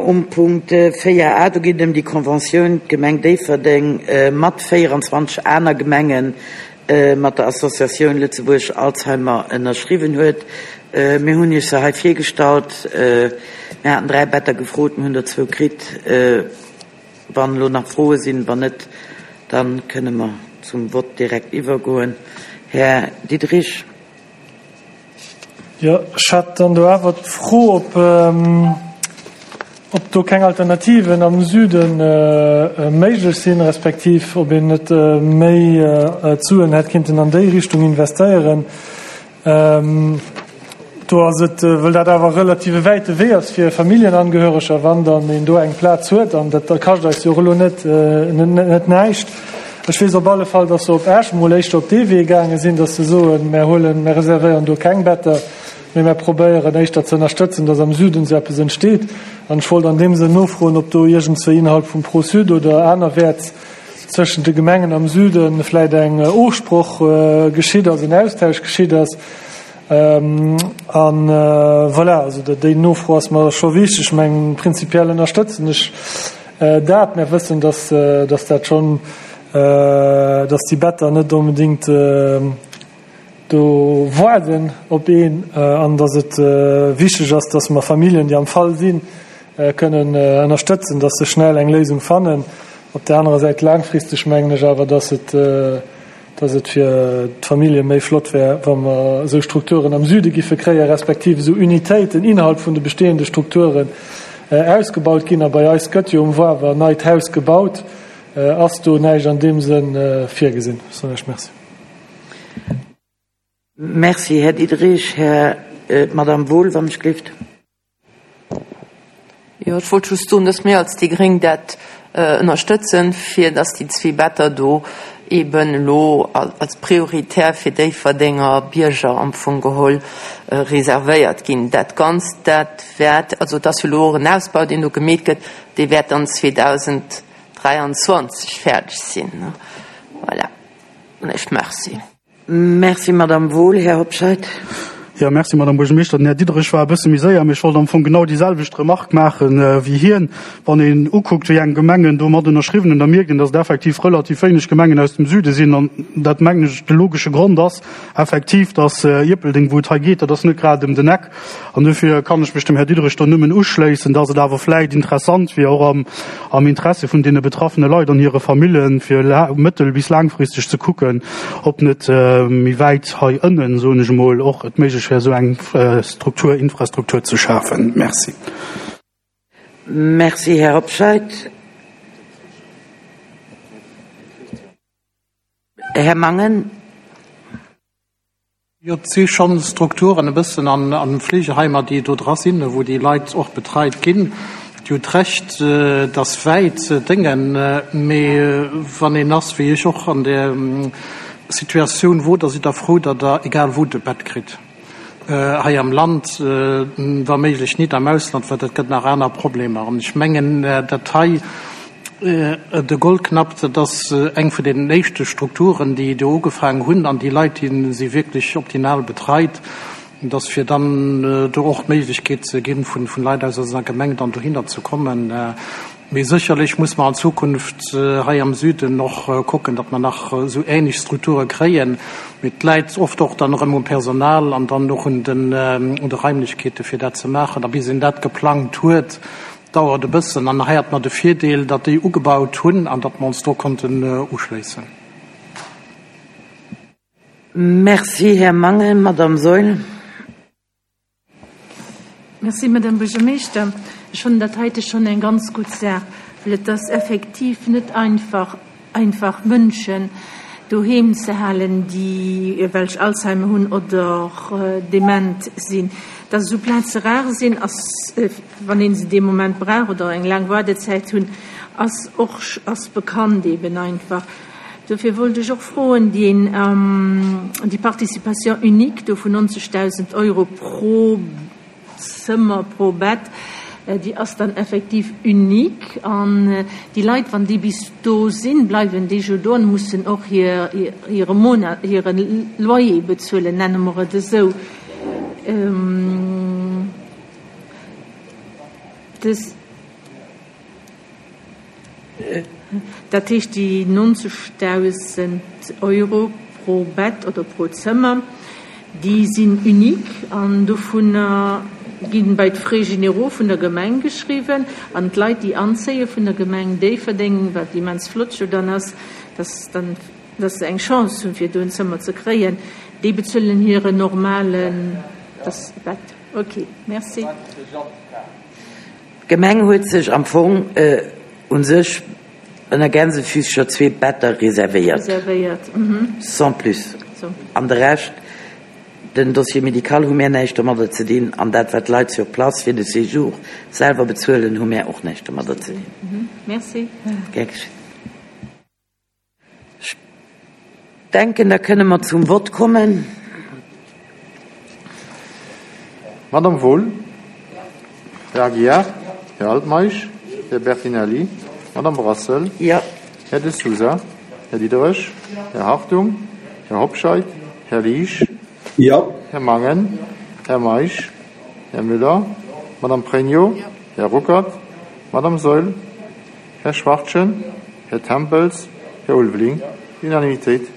um Punkt 4 a. Do geet et ëm déi Conventioun, d'Gemeng Déifferdeng mat 24 aner Gemenge mat der Associatioun Lëtzebuerg Alzheimer ënnerschriwwen huet. Mir hunn Iech se hei virgestallt. Mir haten 3 Better gefrot, mir hunn der zwou kritt. Wann elo nach Froe sinn, wann net, da kënne mer zum Vott direkt iwwergoen. Här Diderich. Jo, ech hat dann do awer d'Fro, ob, ob do keng Alternativen am Süde méiglech sinn, respektiv ob een net méi d'Suen hätt kinnten an déi Richtung investéieren. Do ass et, wëll dat awer e relative wäite Wee ass fir Familljenangehöreger, wann dann een do eng Plaz huet, an dat kascht eis jo och elo net, net näischt. Ech weess op alle Fall, dass se op Esch emol éischter op dee Wee gaange sinn, dass se soen, Mär huelen, mär reservéieren do keng Better, mee mär probéieren éischter ze ënnerstëtzen, dass am Süden esou eppes entsteet. An ech wollt an deem Sënn nofroen, ob do iergendzwéi innerhalb vum Pro-Sud oder anerwäerts zwëschent de Gemengen am Süde vläicht eng Ofsproch geschitt ass, en Austausch geschitt ass. A voilà, also déi Nofro ass mer scho wichteg. Ech mengen, prinzipiell ënnerstëtzen ech dat. Mär wëssen, dass, dass dat schonn, dass déi Better net onbedéngt do waarden op een an dass et wichteg ass, dass mer Familljen, déi am Fall sinn, kënnen ënnerstëtzen, dass se schnell eng Léisung fannen. Op där anerer Säit laangfristeg mengen ech awer, dass et, dass et fir d'Famillje méi flott wär, wa mer esou Strukturen am Süde giffe kréien, respektiv esou Unitéiten innerhalb vun de bestehende Strukturen ausgebaut ginn. A bei eis gëtt jo um Wawer en neit Haus gebaut. Ass do näischt an deem Sënn virgesinn? Ech soen Iech Merci. Merci, Här Diderich. Här, d'Madame Wohl, wann ech gelift. Jo, ech wollt just soen, dass mir als déi Gréng dat ënnerstëtzen, fir dass déi zwee Better do eeben elo als prioritär fir Déifferdenger Bierger am Fong geholl reservéiert ginn. Dat Ganzt, dat wäert, also et ass jo elo och en Ausbau, deen do gemeet gëtt, dee wäert dann 2023 fäerdeg sinn. Voilà. An ech Merci. Merci, Madamm Wohl. Här Hobscheit. Jo, merci, Madamm Buergermeeschter. Den Här Diderich war e bësse méi séier, mee ech wollt am Fong genau déi selwecht Remarque maache wéi hien. Wann een ukuckt, wéi eng Gemengen do mat ënnerschriwwen hunn, da mierkt een, datt et effektiv relativ wéineg Gemengen aus dem Süde sinn. An dat, mengen ech, de logesche Grond ass effektiv, datt Ierpeldeng, wou et hei geet, dat ass net grad ëm den Eck. An dofir kann ech mech dem Här Diderich do nëmmen uschléissen, dass et awer vläicht interessant wier, och am, am Interesse vun deene betraffene Leit an hire Famillen, fir mëttel bis laangfristeg ze kucken, ob net méi wäit hei ënnen, soen ech emol, och et méiglech wär, esou eng Struktur, Infrastruktur ze schafen. Merci. Merci, Här Hobscheit. Här Mangen. Jo, et si schonn Strukturen e bëssen an Fleegeheimer, déi do dra sinn, wou déi Leit och betreit ginn. Dir hutt Recht, et ass wäit Déngen, mee wann een ass, wéi ech och an där Situatioun wor, da sidd Der frou, datt Der egal wou e Bett kritt hei am Land, wa méiglech nit am Ausland, well dat gëtt nach aner Problemer. An ech mengen, dat hei, De Goldknapp, dat ass eng vun deenen éischte Strukturen, déi do ugefaangen hunn, an déi Leit, déi si wierklech optimal betreit. Et ass fir dann do och d'Méiglechkeet ze ginn, vun Leit aus eiser Gemeng dann dohinner ze kommen. Mee sécherlech muss mer an Zukunft hei am Süden och kucken, datt mer nach esou ähnlech Strukture kréien. Mee et läit oft och dann erëm um Personal an dann och un de Raimlechkeete fir dat ze maachen. A bis een dat geplangt huet, Dauert e bëssen an hei hat mer de Virdeel, datt déi ugebaut hunn an datt mer ons do konnten uschléissen. Merci, Här Mangen. Madame Saeul. Merci, Madame Buergermeeschter. Ech fannen dat heite schonn eng ganz gutt Saach, well et ass effektiv net einfach, einfach Mënschen doheem ze halen, déi welch Alzheimer hunn oder dement sinn. Dass esou Plaze rar sinn, ass, wann ee se dee Moment brauch oder eng laang Waardezäit hunn, ass och ass bekannt eben einfach. Dofir wollt ech och froen, deen, déi Participation unique do vun 90.000 Euro pro Zëmmer pro Bett, déi ass dann effektiv unique an déi Leit, wann déi bis do sinn, bleiwen déi jo do an mussen och hire Monat, hire Loyer bezuelen, nenne mer et esou. Dës. Dat heescht, déi 90.000 Euro pro Bett oder pro Zëmmer, déi sinn unique an dovunner gi bei d'Frais généraux vun der Gemeng geschriwwen an d'Leit, déi anzéie vun der Gemeng Déifferdeng, wat immens flott jo dann ass, dass dann, dass se eng Chance hunn, fir do en Zëmmer ze kréien, déi bezuelen hiren normalen Bett. Ok, merci. D'Gemeng huet sech am Fong u sech ënner Gänsefüßcher zwee Better reservéiert. Reservéiert, Sans plus. An de Rescht, den Dossier médical hu mär näischt domadder ze dinn an dat wat d'Leit sur place fir de Séjour selwer bezuelen, hu mär och näischt domadder ze dinn. Merci. Gär geschénn. Ech denken, da kënne mer zum Vott kommen. Madame Wohl, Här Aguiar, Här Altmeisch, Här Bertinelli, Madame Brassel, Jo. Här De Sousa, Här Diderich, Här Hartung, Här Hobscheit, Här Liesch, Jo. Här Mangen, Här Meisch, Här Müller, Madame Pregno, Här Ruckert, Madame Saeul, Här Schwachtgen, Här Tempels, Här Ulveling. Unanimitéit.